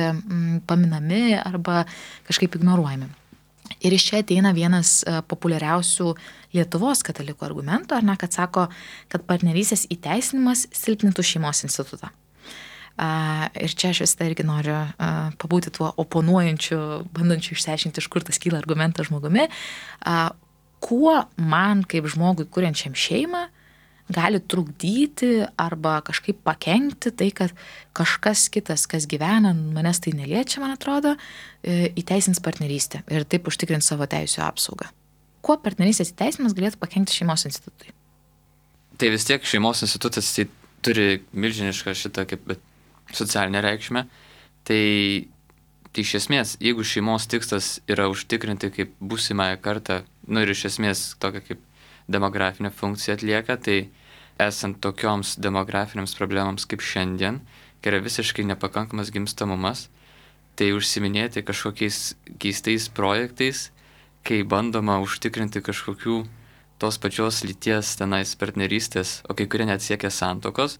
paminami arba kažkaip ignoruojami. Ir iš čia ateina vienas populiariausių Lietuvos katalikų argumentų, kad sako, kad partnerystės įteisinimas silpnintų šeimos institutą. Ir čia aš visada irgi noriu pabūti tuo oponuojančiu, bandančiu išsiaiškinti, iš kur tas kyla argumentas žmogumi. Kuo man kaip žmogui kuriančiam šeimą gali trukdyti arba kažkaip pakenkti tai, kad kažkas kitas, kas gyvena, manęs tai neliečia, man atrodo, įteisins partnerystę ir taip užtikrins savo teisių apsaugą. Kuo partnerystės įteisinimas galėtų pakenkti šeimos institutui? Tai vis tiek šeimos institutas tai turi milžinišką šitą kaip socialinę reikšmę. Tai iš esmės, jeigu šeimos tikslas yra užtikrinti kaip būsimąją kartą, ir iš esmės tokia kaip demografinė funkcija atlieka, tai esant tokioms demografinėms problemams kaip šiandien, kai yra visiškai nepakankamas gimstamumas, tai užsiminėti kažkokiais keistais projektais, kai bandoma užtikrinti kažkokių tos pačios lyties tenais partnerystės, o kai kurie net siekia santuokos,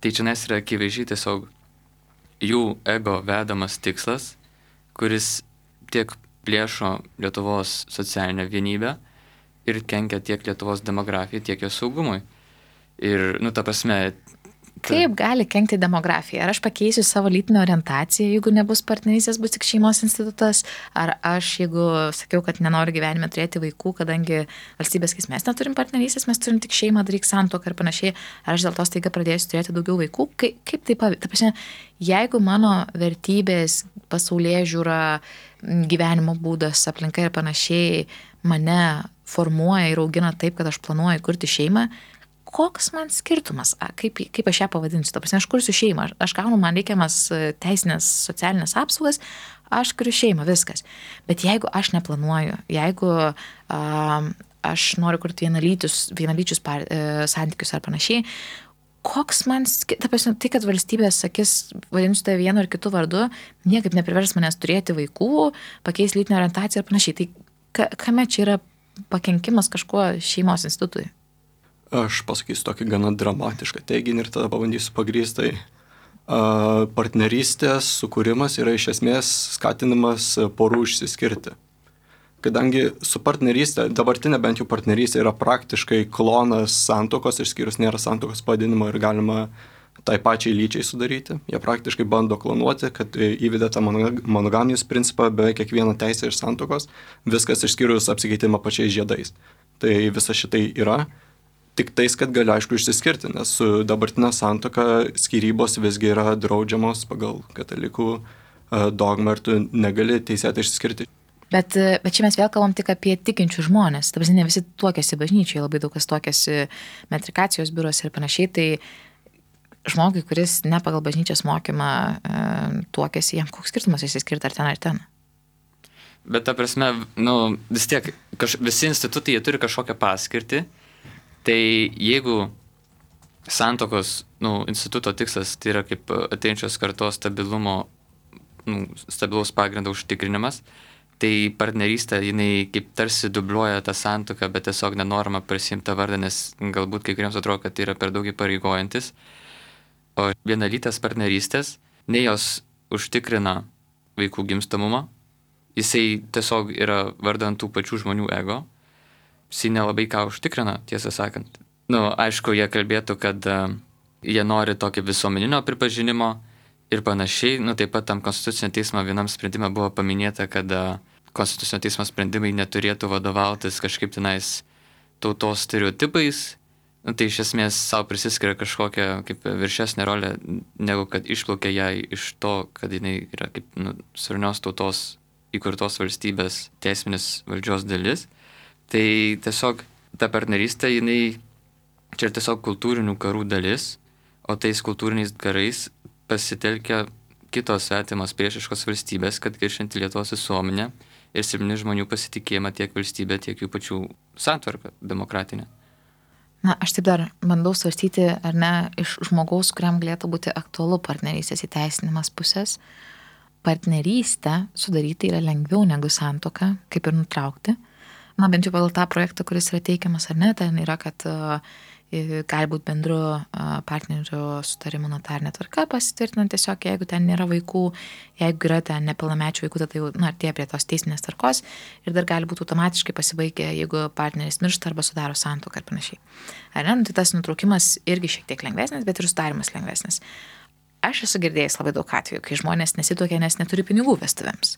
tai čia yra akivaizdžiai tiesiog jų ego vedamas tikslas, kuris tiek plėšo Lietuvos socialinę vienybę, ir kenkia tiek Lietuvos demografijai, tiek jos saugumui. Ir, ta prasme... Kaip gali kenkti demografija? Ar aš pakeisiu savo lytinę orientaciją, jeigu nebus partnerystės, bus tik šeimos institutas? Ar aš, jeigu sakiau, kad nenoriu gyvenime turėti vaikų, kadangi valstybės, kai mes neturim partnerystės, mes turim tik šeimą, daryk santuoką ir panašiai, ar aš dėl to staiga pradėsiu turėti daugiau vaikų? Kaip tai pavyzdžiui? Ta prasme, jeigu mano vertybės, pasaulėžiūra, gyvenimo būdas, aplinka ir panašiai mane formuoja ir augina taip, kad aš planuoju kurti šeimą, koks man skirtumas, kaip aš ją pavadinsiu, ta prasme, aš kursiu šeimą, aš gaunu man reikiamas teisinės, socialinės apsaugas, aš kuriu šeimą, viskas. Bet jeigu aš neplanuoju, jeigu aš noriu kurti vienalyčius santykius ar panašiai, koks man, ta prasme, tai, kad valstybės sakys, vadinsiu tai vienu ar kitu vardu, niekaip neprivers manęs turėti vaikų, pakeis lytinę orientaciją ir panašiai. Tai kame čia yra pakenkimas kažkuo šeimos institutui? Aš pasakysiu tokį gana dramatišką teiginį ir tada pabandysiu pagrįstai. Partnerystės sukūrimas yra iš esmės skatinimas porų išsiskirti. Kadangi su partnerystė, dabartinė bent jau partnerystė yra praktiškai klonas santuokos, išskyrus nėra santuokos pavadinimo ir galima tai pačiai lyčiai sudaryti. Jie praktiškai bando klonuoti, kad įvedė tą monogamijos principą beveik kiekvieną teisę iš santuokos, viskas išskyrus apsikeitimą pačiais žiedais. Tai visa šitai yra. Tik tais, kad gali aišku išsiskirti, nes su dabartinė santuoka skyrybos visgi yra draudžiamos pagal katalikų dogmą ir tu negali teisėtai išsiskirti. Bet čia mes vėl kalbam tik apie tikinčių žmonės. Ta prasme, ne visi tuokiasi bažnyčioje, labai daug kas tuokiasi metrikacijos biuruose ir panašiai. Tai žmogui, kuris ne pagal bažnyčios mokymą tuokiasi, jam koks skirtumas išsiskirti ar ten. Bet ta prasme, vis tiek, visi institutai jie turi kažkokią paskirtį. Tai jeigu santuokos instituto tikslas tai yra kaip ateinančios kartos stabilaus pagrindo užtikrinimas, Tai partnerystė, jinai kaip tarsi dubliuoja tą santuoką, bet tiesiog nenorima prisimti tą vardą, nes galbūt kai kuriems atrodo, kad tai yra per daug įpareigojantis. O vienalytės partnerystės, nei jos užtikrina vaikų gimstamumą, jisai tiesiog yra vardant tų pačių žmonių ego, jisai nelabai ką užtikrina, tiesą sakant. Aišku, jie kalbėtų, kad jie nori tokio visuomeninio pripažinimo ir panašiai. Taip pat tam Konstitucinio teismo vienam sprendime buvo paminėta, kad Konstitucinio teismo sprendimai neturėtų vadovautis kažkaip tenais tautos stereotipais. Tai iš esmės savo prisiskiria kažkokią kaip viršesnę rolę, negu kad išplaukia jai iš to, kad jinai yra kaip suverenios tautos įkurtos valstybės teisminės valdžios dalis. Tai tiesiog ta partnerystė, jinai čia tiesiog kultūrinių karų dalis, o tais kultūriniais karais pasitelkia kitos svetimos priešiškos valstybės, kad kiršinti Lietuvos visuomenę ir silpni žmonių pasitikėjimą tiek valstybė, tiek jų pačių santvarką demokratinę. Aš taip dar bandau svarstyti, ar ne, iš žmogaus, kuriam galėtų būti aktualu partnerystės įteisinimas pusės. Partnerystę sudaryti yra lengviau negu santuoką, kaip ir nutraukti. Bent jau pagal tą projektą, kuris yra teikiamas, ar ne, ten yra, kad gali būti bendru partnerių sutarimų notarinė tvarka pasitvirtinant tiesiog, jeigu ten nėra vaikų, jeigu yra ten nepilnamečių vaikų, tai artėja prie tos teisinės tvarkos ir dar gali būti automatiškai pasibaigę, jeigu partneris miršta arba sudaro santuoką ir panašiai. Ar ne? Tai tas nutraukimas irgi šiek tiek lengvesnis, bet ir sudarimas lengvesnis. Aš esu girdėjęs labai daug atvejų, kai žmonės nesituokia, nes neturi pinigų vestuvėms.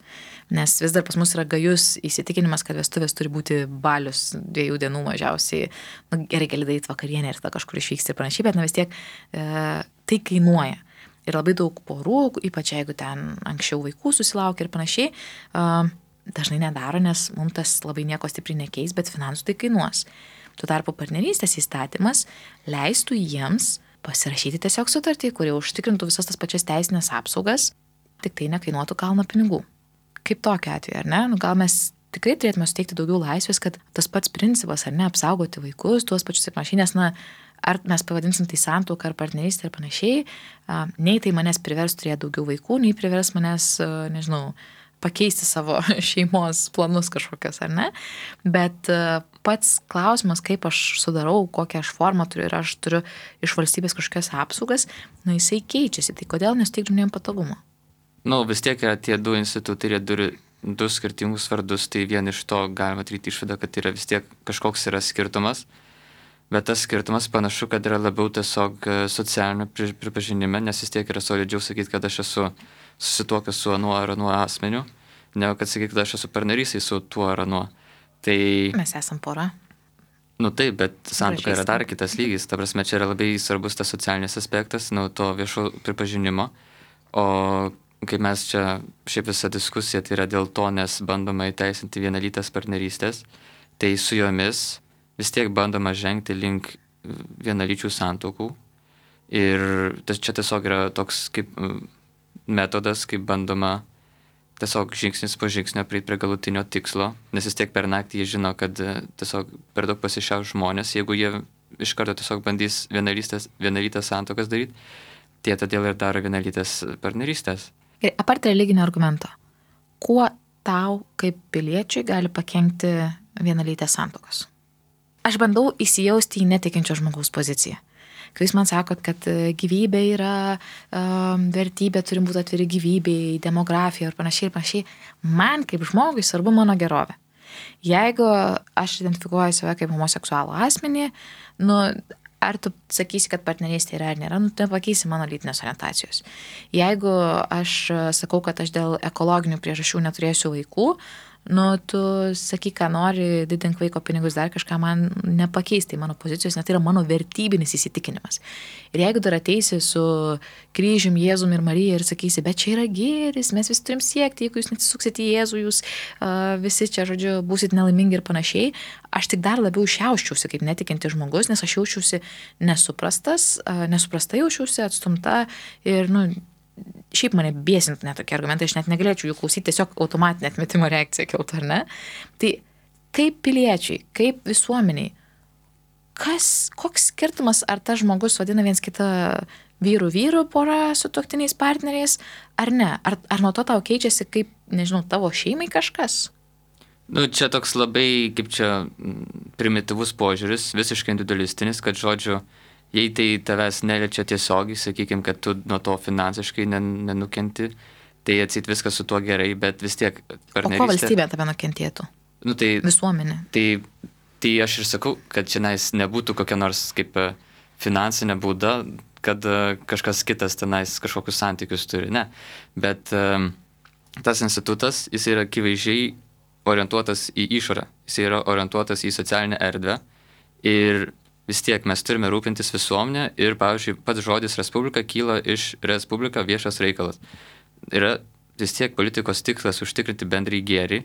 Nes vis dar pas mus yra gajus įsitikinimas, kad vestuvės turi būti balius 2 dienų mažiausiai. Gerai, gali daryti vakarienę ir tada kažkur išvyksti ir panašiai, bet vis tiek tai kainuoja. Ir labai daug porų, ypač jeigu ten anksčiau vaikų susilaukia ir panašiai, dažnai nedaro, nes mums tas labai nieko stipriai nekeis, bet finansų tai kainuos. Tuo tarpu partnerystės įstatymas leistų jiems pasirašyti tiesiog sutartį, kurie užtikrintų visas tas pačias teisinės apsaugas, tik tai nekainuotų kalno pinigų. Kaip tokiu atveju, ar ne? Gal mes tikrai turėtume suteikti daugiau laisvės, kad tas pats principas, ar ne, apsaugoti vaikus, tuos pačius ir panašiai, nes, ar mes pavadinsim tai santuoką ar partnerystę ir panašiai, nei tai manęs privers turėti daugiau vaikų, nei privers manęs, pakeisti savo šeimos planus kažkokios, ar ne? Bet pats klausimas, kaip aš sudarau, kokią aš formą turiu ir aš turiu iš valstybės kažkokias apsaugas, jisai keičiasi. Tai kodėl nesuteikti žmonėm patogumo? Vis tiek yra tie 2 institutai, jie turi 2 skirtingus vardus, tai vien iš to galima daryti išvadą, kad yra vis tiek kažkoks yra skirtumas. Bet tas skirtumas panašu, kad yra labiau tiesiog socialinio pripažinime, nes vis tiek yra solidžiau sakyti, kad aš esu susituokęs su anuo ar anuo asmeniu, negu kad sakyti, kad aš esu partnerystėj su tuo ar anuo. Tai mes esam pora. Taip, bet santuoka yra dar kitas lygis. Ta prasme, čia yra labai svarbus tas socialinis aspektas, to viešo pripažinimo. O kaip mes čia, šiaip visa diskusija, tai yra dėl to, nes bandoma įteisinti vienalytės partnerystės, tai su jomis vis tiek bandoma žengti link vienalyčių santuokų. Ir čia tiesiog yra toks kaip metodas, kaip bandoma tiesiog žingsnis po žingsnio prieiti prie galutinio tikslo, nes vis tiek per naktį jie žino, kad tiesiog per daug pasišiaus žmonės, jeigu jie iš karto tiesiog bandys vienalytės santuokas daryti, tie todėl ir daro vienalytės partnerystės. Ir apart religinio argumento, kuo tau kaip piliečiui gali pakenkti vienalytės santuokos? Aš bandau įsijausti į netikinčio žmogaus poziciją. Kai jūs man sakot, kad gyvybė yra vertybė, turim būti atviri gyvybei, demografija ir panašiai, man kaip žmogui svarbu mano gerovė. Jeigu aš identifikuoju save kaip homoseksualų asmenį, ar tu sakysi, kad partnerystė yra ar nėra, tu pakeisi mano lytinės orientacijos. Jeigu aš sakau, kad aš dėl ekologinių priežasčių neturėsiu vaikų, tu sakyk, ką nori, didink vaiko pinigus, dar kažką man nepakeisti mano pozicijos, nes tai yra mano vertybinis įsitikinimas. Ir jeigu dar ateisi su kryžium, Jėzum ir Marija ir sakysi, bet čia yra gėris, mes visi turim siekti, jeigu jūs neatsisuksit į Jėzų, jūs visi čia, žodžiu, būsit nelaimingi ir panašiai, aš tik dar labiau šiauščiausi kaip netikinti žmogus, nes aš jaučiausi nesuprasta jaučiausi, atstumta ir, šiaip mane bėsintų net tokie argumentai, aš net negalėčiau jų klausyti, tiesiog automatinė atmetimo reakcija kiltų, ar ne? Tai kaip piliečiai, kaip visuomeniai, koks skirtumas, ar tas žmogus vadina viens kitą vyrų pora su tuoktiniais partneriais, ar ne? Ar nuo to tau keičiasi kaip, nežinau, tavo šeimai kažkas? Nu, čia toks labai, kaip čia, primityvus požiūris, visiškai individualistinis, kad žodžiu, jei tai tavęs neliečia tiesiogiai, sakykime, kad tu nuo to finansiškai nenukenti, tai atsit viskas su tuo gerai, bet vis tiek partnerystė. O ko valstybė tave nukentėtų? Nu, tai, visuomenė. Tai aš ir sakau, kad šiandien nebūtų kokia nors kaip finansinė bauda, kad kažkas kitas tenais kažkokius santykius turi, ne. Bet tas institutas, jis yra akivaizdžiai orientuotas į išorę, jis yra orientuotas į socialinę erdvę ir vis tiek mes turime rūpintis visuomenę ir, pavyzdžiui, pats žodis respublika kyla iš respublika viešas reikalas. Yra vis tiek politikos tikslas užtikrinti bendrąjį gėrį,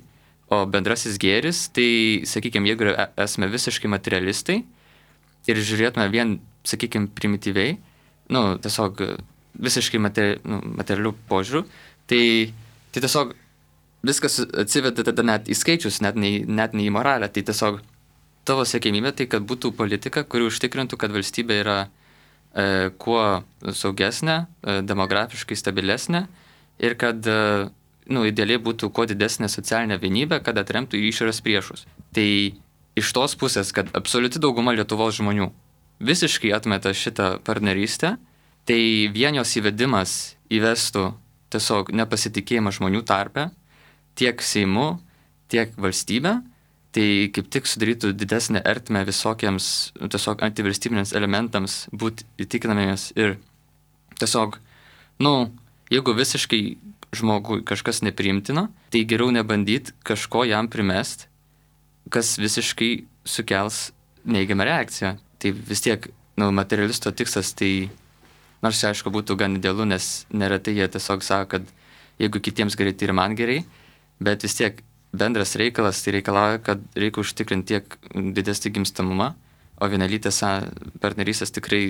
o bendrasis gėris, tai, sakykime, jeigu esame visiškai materialistai ir žiūrėtume vien, sakykime, primityviai, tiesiog visiškai materialių požiūrių, tai tiesiog viskas atsiveda tada net į skaičius, net ne į moralę. Tai tiesiog tavo siekimybė tai, kad būtų politika, kuri užtikrintų, kad valstybė yra kuo saugesnė, demografiškai stabilesnė ir kad idealiai būtų kuo didesnė socialinė vienybė, kad atremtų į išorės priešus. Tai iš tos pusės, kad absoliuti dauguma Lietuvos žmonių visiškai atmeta šitą partnerystę, tai vien jos įvedimas įvestų tiesiog nepasitikėjimą žmonių tarpe, tiek Seimu, tiek valstybė, tai kaip tik sudarytų didesnę ertmę visokiems tiesiog antivalstybiniams elementams būti įtikinamiems ir tiesiog, jeigu visiškai žmogui kažkas nepriimtina, tai geriau nebandyti kažko jam primest, kas visiškai sukels neigiamą reakciją. Tai vis tiek, materialisto tikslas, tai nors aišku būtų gan idealu, nes neretai jie tiesiog sako, kad jeigu kitiems gerai, tai ir man gerai, bet vis tiek bendras reikalas tai reikalauja, kad reikia užtikrinti tiek didesnį gimstamumą, o vienalytės partnerystės tikrai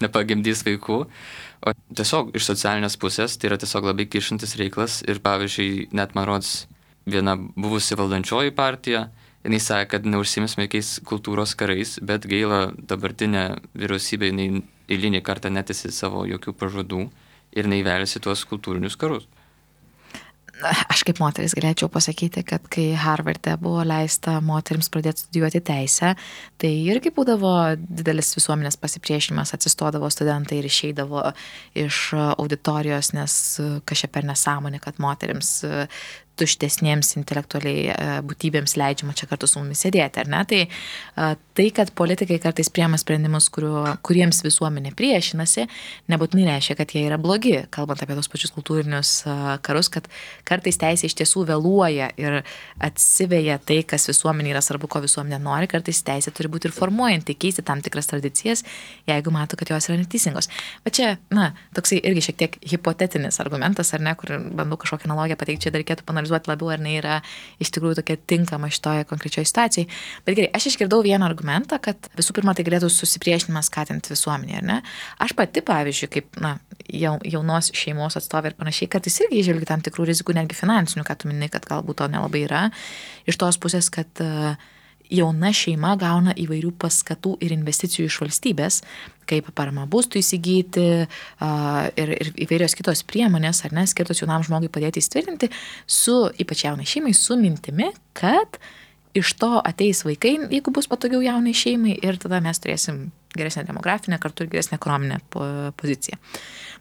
nepagimdys vaikų. O tiesiog iš socialinės pusės tai yra tiesiog labai kišantis reikalas ir pavyzdžiui, net man rodos viena buvusi valdančioji partija, jinai sakė, kad neužsimės jokiais kultūros karais, bet gaila dabartinė vyriausybė, jinai eilinį kartą netesi savo jokių pažadų ir jinai veliasi tuos kultūrinius karus. Aš kaip moteris galėčiau pasakyti, kad kai Harvarde buvo leista moterims pradėti studijuoti teisę, tai irgi būdavo didelis visuomenės pasipriešinimas, atsistodavo studentai ir išeidavo iš auditorijos, nes kažkaip per nesąmonė, kad moterims tuštesniems intelektualiai būtybėms leidžiama čia kartu su mumis sėdėti, ar ne? Tai, kad politikai kartais priema sprendimus, kuriems visuomenė priešinasi, nebūtinai reiškia, kad jie yra blogi, kalbant apie tos pačius kultūrinius karus, kad kartais teisė iš tiesų vėluoja ir atsiveja tai, kas visuomenė yra svarbu, ko visuomenė nori, kartais teisė turi būti ir formuojanti, keisti tam tikras tradicijas, jeigu mato, kad jos yra neteisingos. Bet čia, toksai irgi šiek tiek hipotetinis argumentas, ar ne, kur bandau kažkokią analogiją pateikti, čia dar reikėtų panalizuoti labiau, ar ne yra iš tikrųjų tokia tinkama šitoje konkrečioje situacijai. Bet gerai, aš išgirdau vieną argumentą, kad visų pirma tai galėtų susipriešinimas skatinti visuomenį, ar ne? Aš pati, pavyzdžiui, kaip jaunos šeimos atstovė ir panašiai, kartais irgi įžvelgiu tam tikrų rizikų, netgi finansinių, kad tu minai, kad galbūt to nelabai yra. Iš tos pusės, kad jauna šeima gauna įvairių paskatų ir investicijų iš valstybės, kaip parama būstų įsigyti ir įvairios kitos priemonės, ar ne, skirtos jaunam žmogui padėti įsitvirtinti su, ypač jaunai šeimai, su mintimi, kad iš to ateis vaikai, jeigu bus patogiau jaunai šeimai ir tada mes turėsim geresnę demografinę, kartu ir geresnę ekonominę poziciją.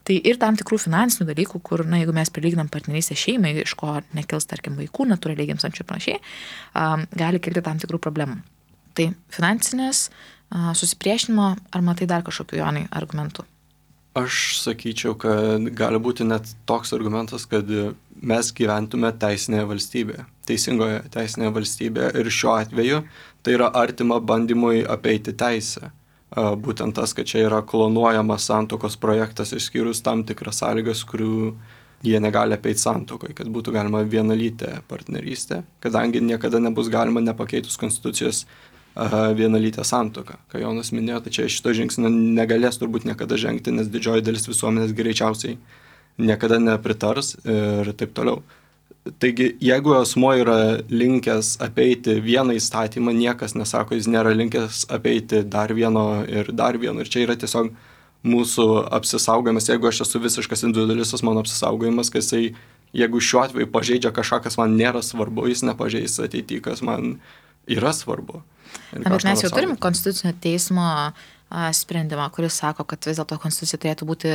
Tai ir tam tikrų finansinių dalykų, kur, jeigu mes prilyginam partnerystę šeimai, iš ko nekils, tarkim, vaikų, natūraliai gimstančių ir panašiai, gali kilti tam tikrų problemų. Tai finansinės, susipriešinimo, ar matai dar kažkokių, Jonai, argumentų? Aš sakyčiau, kad gali būti net toks argumentas, kad mes gyventume teisinėje valstybėje, teisingoje teisinėje valstybėje ir šiuo atveju tai yra artima bandymui apeiti teisę. Būtent tas, kad čia yra klonuojamas santuokos projektas išskyrus tam tikras sąlygas, kurių jie negali apeiti santuokoje, kad būtų galima vienalytė partnerystė, kadangi niekada nebus galima nepakeitus konstitucijos vienalytę santuoką. Ką Jonas minėjo, tai čia šito žingsnio negalės turbūt niekada žengti, nes didžioji dalis visuomenės greičiausiai niekada nepritars ir taip toliau. Taigi, jeigu asmuo yra linkęs apeiti vieną įstatymą, niekas nesako, jis nėra linkęs apeiti dar vieno. Ir čia yra tiesiog mūsų apsisaugojimas, jeigu aš esu visiškas individualistas, mano apsisaugojimas, kad jisai, jeigu šiuo atveju pažeidžia kažką, kas man nėra svarbu, jis nepažeis ateityje, kas man yra svarbu. Na, bet mes jau turim Konstitucinio teismo sprendimą, kuris sako, kad vis dėlto konstitucija turėtų būti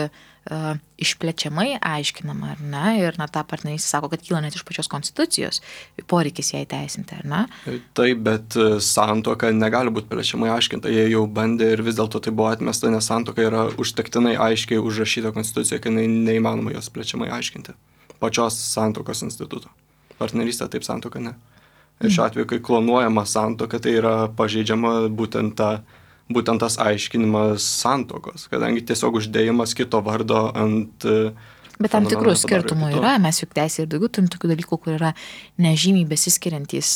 išplečiamai aiškinama, ar ne? Ir ta partnerystė sako, kad kyla net iš pačios konstitucijos poreikis ją įteisinti, ar ne? Taip, bet santuoka negali būti plečiamai aiškinta. Jie jau bandė ir vis dėlto tai buvo atmesta, nes santuoka yra užtektinai aiškiai užrašyta konstitucija, kad neįmanoma jos plečiamai aiškinti. Pačios santuokos instituto. Partnerystė taip, santuoka ne. Ir šiuo atveju, kai klonuojama santuoka, tai yra pažeidžiama būtent tas aiškinimas santuokos, kadangi tiesiog uždėjimas kito vardo ant... Bet tam tikrų skirtumų yra, mes juk teisė ir daugiau turim tokių dalykų, kur yra nežymiai besiskiriantys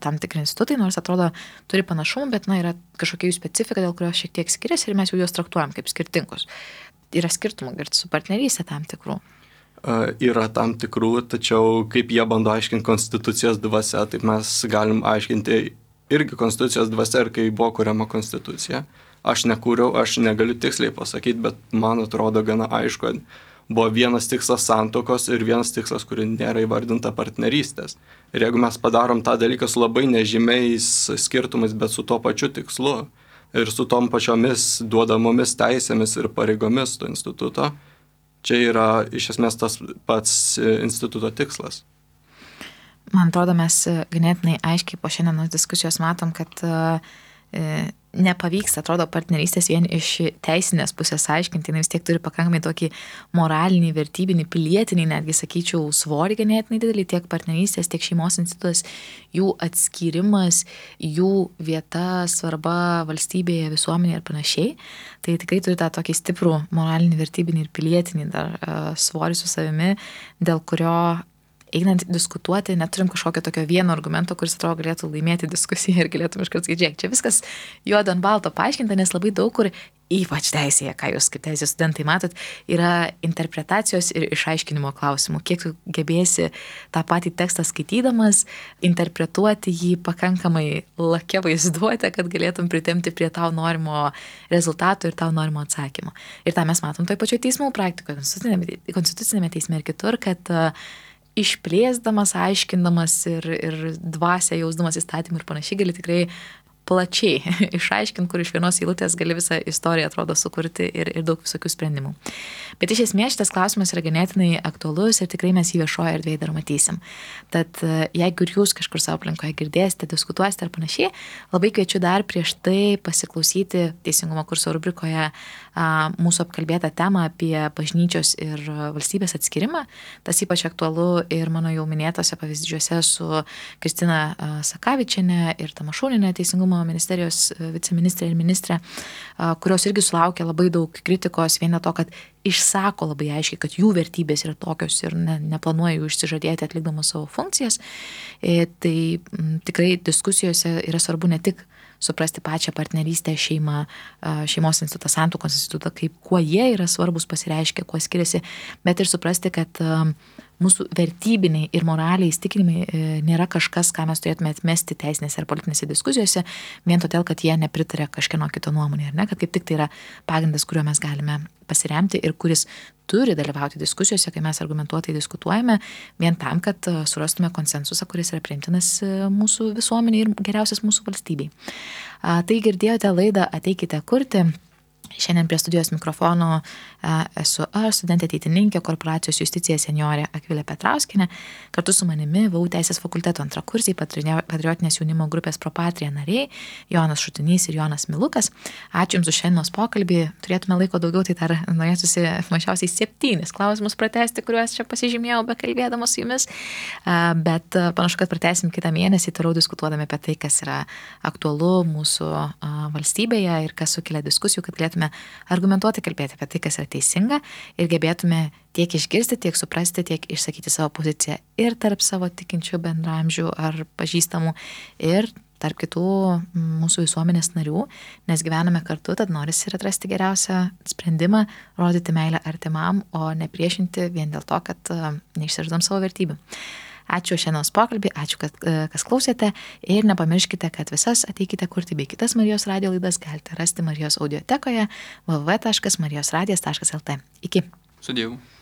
tam tikri institutai, nors atrodo turi panašumų, bet yra kažkokia jų specifika, dėl kurios šiek tiek skiriasi ir mes jau juos traktuojam kaip skirtingus. Yra skirtumų ir su partnerystė tam tikrų. Yra tam tikrų, tačiau kaip jie bando aiškinti konstitucijos dvasia, taip mes galim aiškinti irgi konstitucijos dvasia ir kai buvo kuriama konstitucija. Aš nekūriau, aš negaliu tiksliai pasakyti, bet man atrodo gana aišku, kad buvo vienas tikslas santuokos ir vienas tikslas, kuri nėra įvardinta partnerystės. Ir jeigu mes padarom tą dalyką su labai nežymiais skirtumais, bet su tuo pačiu tikslu ir su tom pačiomis duodamomis teisėmis ir pareigomis to instituto, čia yra iš esmės tas pats instituto tikslas. Man atrodo, mes ganėtinai aiškiai po šiandienos diskusijos matom, kad nepavyks, atrodo, partnerystės vien iš teisinės pusės aiškinti, vis tiek turi pakankamai tokį moralinį, vertybinį, pilietinį, netgi sakyčiau, svorį ganėtinai didelį, tiek partnerystės, tiek šeimos institutas, jų atskyrimas, jų vieta, svarba valstybėje, visuomenėje ir panašiai. Tai tikrai turi tą tokį stiprų moralinį, vertybinį ir pilietinį dar svorį su savimi, dėl kurio einant diskutuoti, neturim kažkokio tokio vieno argumento, kuris atrodo galėtų laimėti diskusiją ir galėtum iškart sakyti, žiūrėk, čia viskas juodo ant balto paaiškinta, nes labai daug kur, ypač teisėje, ką jūs kaip teisės studentai matot, yra interpretacijos ir išaiškinimo klausimų. Kiek tu gebėsi tą patį tekstą skaitydamas, interpretuoti jį pakankamai lakia vaizduotę, kad galėtum pritempti prie tau norimo rezultato ir tau norimo atsakymo. Ir tą mes matom toj pačioj teismų praktikoje, konstitucinėme teisme ir kitur, kad išplėsdamas, aiškindamas ir dvasią jausdamas įstatymų ir panašiai gali tikrai plačiai išaiškinti, kur iš vienos eilutės gali visą istoriją atrodo sukurti ir daug visokių sprendimų. Bet iš esmės šitas klausimas yra ganėtinai aktualus ir tikrai mes jį viešoje erdvėje dar matysim. Tad jeigu ir jūs kažkur savo aplinkoje girdėsite, diskutuosite ar panašiai, labai kviečiu dar prieš tai pasiklausyti Teisingumo kurso rubrikoje mūsų apkalbėtą temą apie bažnyčios ir valstybės atskirimą. Tas ypač aktualu ir mano jau minėtose pavyzdžiuose su Kristina Sakavičienė ir Tamašūnienė Teisingumo ministerijos viceministrė ir ministrė, kurios irgi sulaukia labai daug kritikos vien dėl to, kad išsako labai aiškiai, kad jų vertybės yra tokios ir neplanuoja jų išsižadėti atlikdamas savo funkcijas. Tai tikrai diskusijose yra svarbu ne tik suprasti pačią partnerystę, šeimą, šeimos institutą, santuokos institutą, kaip kuo jie yra svarbus, pasireiškia, kuo skiriasi, bet ir suprasti, kad mūsų vertybiniai ir moraliai įsitikinimai nėra kažkas, ką mes turėtume atmesti teisinėse ar politinėse diskusijose, vien todėl, kad jie nepritarė kažkieno kito nuomonė, ar ne, kad kaip tik tai yra pagrindas, kuriuo mes galime pasiremti ir kuris turi dalyvauti diskusijose, kai mes argumentuotai diskutuojame, vien tam, kad surastume konsensusą, kuris yra priimtinas mūsų visuomeniai ir geriausias mūsų valstybei. Tai girdėjote laidą Ateikite kurti. Šiandien prie studijos mikrofono esu aš, studentė ateitininkė, korporacijos justicija seniorė Akvilė Petrauskinė. Kartu su manimi VAU Teisės fakulteto antrakursiai patriotinės jaunimo grupės Propatria nariai Jonas Šutinys ir Jonas Milukas. Ačiū Jums už šiandienos pokalbį. Turėtume laiko daugiau, tai dar norėtųsi mažiausiai 7 klausimus pratesti, kuriuos čia pasižymėjau bekalbėdamas su Jumis. Bet panašu, kad pratęsim kitą mėnesį, toliau diskutuodami apie tai, kas yra aktualu mūsų valstybėje ir kas sukelia diskusijų, kad galėtume argumentuoti kalbėti apie tai, kas yra teisinga ir gebėtume tiek išgirsti, tiek suprasti, tiek išsakyti savo poziciją ir tarp savo tikinčių bendramžių ar pažįstamų ir tarp kitų mūsų visuomenės narių, nes gyvename kartu, tad norisi ir atrasti geriausią sprendimą, rodyti meilę artimam, o ne priešinti vien dėl to, kad neišsižadam savo vertybių. Ačiū šiandienos pokalbį, ačiū, kad kas klausėte ir nepamirškite, kad visas Ateikite kurti bei kitas Marijos radio laidas galite rasti Marijos audiotekoje www.marijosradijas.lt. Iki. Sudėjau.